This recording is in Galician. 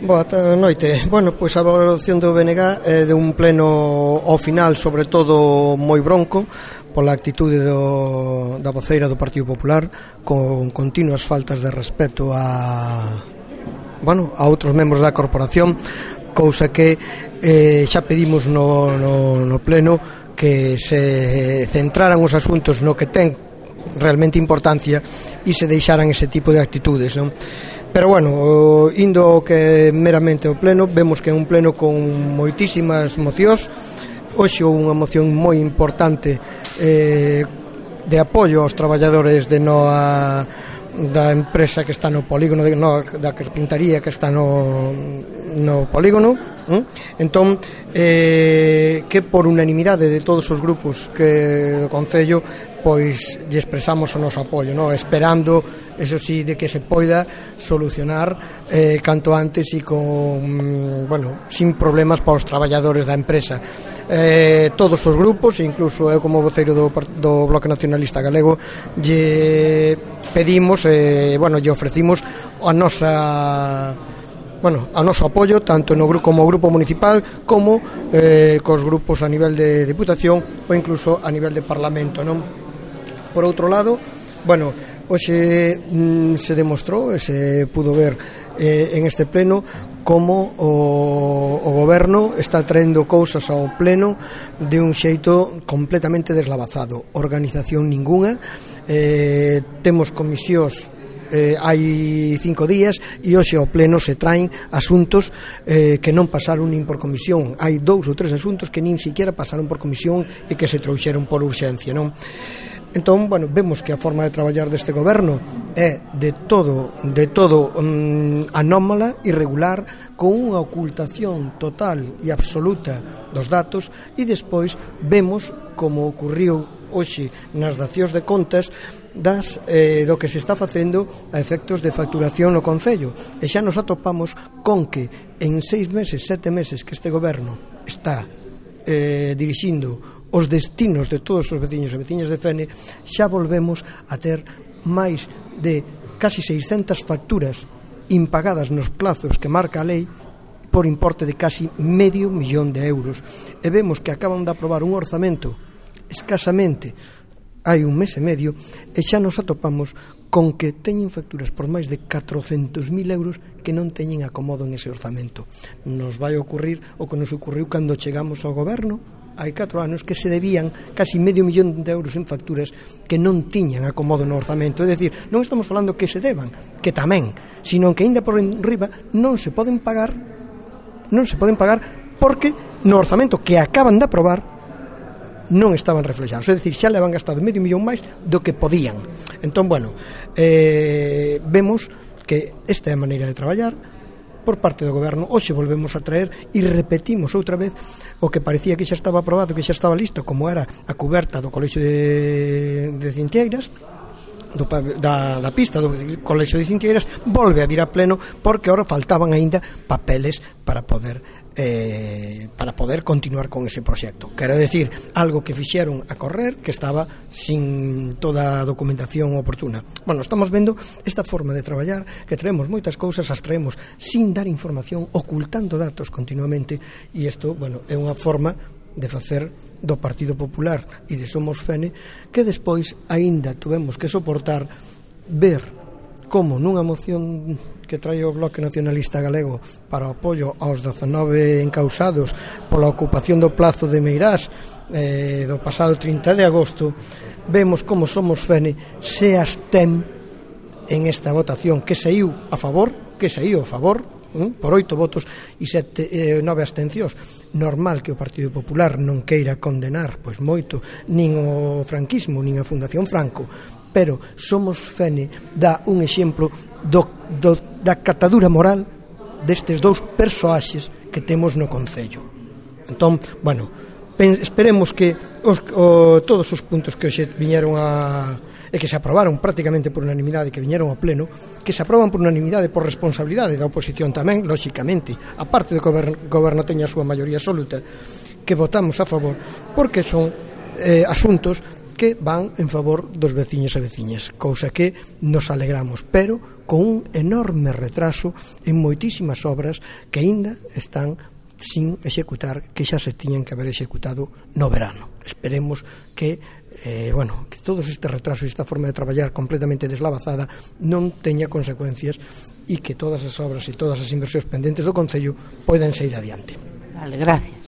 Boa noite. Bueno, pois a valoración do BNG é de un pleno ao final, sobre todo moi bronco, pola actitude da voceira do Partido Popular, con continuas faltas de respeto a outros membros da corporación, cousa que xa pedimos no pleno que se centraran os asuntos no que ten realmente importancia e se deixaran ese tipo de actitudes, non? Pero bueno, indo ao que meramente o pleno, vemos que é un pleno con moitísimas mocións. Hoxe unha moción moi importante de apoio aos traballadores da empresa que está no polígono, da carpintaría que está no polígono. Entón, que por unanimidade de todos os grupos do Concello, pois lle expresamos o noso apoio, esperando, eso sí, de que se poida solucionar canto antes e sin problemas para os traballadores da empresa. Todos os grupos, incluso eu como voceiro do Bloque Nacionalista Galego, lle pedimos, lle ofrecimos o noso apoio tanto como grupo municipal como cos grupos a nivel de Diputación ou incluso a nivel de Parlamento, non? Por outro lado, hoxe se demostrou e se pudo ver en este pleno como o goberno está traendo cousas ao pleno de un xeito completamente deslavazado, organización ningunha. Temos comisións hai 5 días e hoxe ao pleno se traen asuntos que non pasaron nin por comisión. Hai 2 ou 3 asuntos que nin siquiera pasaron por comisión e que se trouxeron por urxencia, non? Entón, vemos que a forma de traballar deste goberno é de todo anómala, irregular, con unha ocultación total e absoluta dos datos, e despois vemos como ocurriu hoxe nas dacións de contas do que se está facendo a efectos de facturación no Concello, e xa nos atopamos con que en 6 meses, 7 meses que este goberno está dirixindo os destinos de todos os veciños e veciñas de Fene, xa volvemos a ter máis de casi 600 facturas impagadas nos plazos que marca a lei por importe de casi €500.000 e vemos que acaban de aprobar un orzamento escasamente hai un mes e medio e xa nos atopamos con que teñen facturas por máis de €400.000 que non teñen acomodo en ese orzamento. Nos vai ocurrir o que nos ocurriu cando chegamos ao goberno hai 4 anos, que se debían casi €500.000 en facturas que non tiñan acomodo no orzamento. É dicir, non estamos falando que se deban, que tamén, sino que ainda por enriba non se poden pagar porque no orzamento que acaban de aprobar non estaban reflexados, é dicir, xa le van gastado €500.000 máis do que podían. Entón, vemos que esta é a maneira de traballar por parte do goberno. Hoxe volvemos a traer e repetimos outra vez o que parecía que xa estaba aprobado, que xa estaba listo, como era a cuberta do Colexio de Cintieiras, da pista do Colexio de Cintieiras, volve a vir a pleno porque ahora faltaban aínda papeles para poder continuar con ese proxecto. Quero decir, algo que fixeron a correr, que estaba sin toda a documentación oportuna. Estamos vendo esta forma de traballar, que traemos moitas cousas, as traemos sin dar información, ocultando datos continuamente, e isto, é unha forma de facer do Partido Popular e de Somos Fene, que despois aínda tuvemos que soportar ver como nunha moción que trae o Bloque Nacionalista Galego para o apoio aos 19 encausados pola ocupación do plazo de Meirás do pasado 30 de agosto, vemos como Somos Fene se abstén en esta votación que saiu a favor por 8 votos e 9 abstencións. Normal que o Partido Popular non queira condenar moito nin o franquismo nin a Fundación Franco, pero Somos Fene dá un exemplo da catadura moral destes 2 persoaxes que temos no Concello. Entón, esperemos que todos os puntos que hoxe viñeron e que se aprobaron prácticamente por unanimidade, que viñeron ao pleno, que se aproban por unanimidade por responsabilidade da oposición tamén, lóxicamente, a parte do que o goberno teña a súa maioría absoluta, que votamos a favor, porque son asuntos que van en favor dos veciños e veciñas, cousa que nos alegramos, pero con un enorme retraso en moitísimas obras que aínda están sin executar, que xa se tiñan que haber executado no verano. Esperemos que que todos estes retrasos e esta forma de traballar completamente deslavazada non teña consecuencias e que todas as obras e todas as inversións pendentes do Concello poidan sair adiante. Vale, gracias.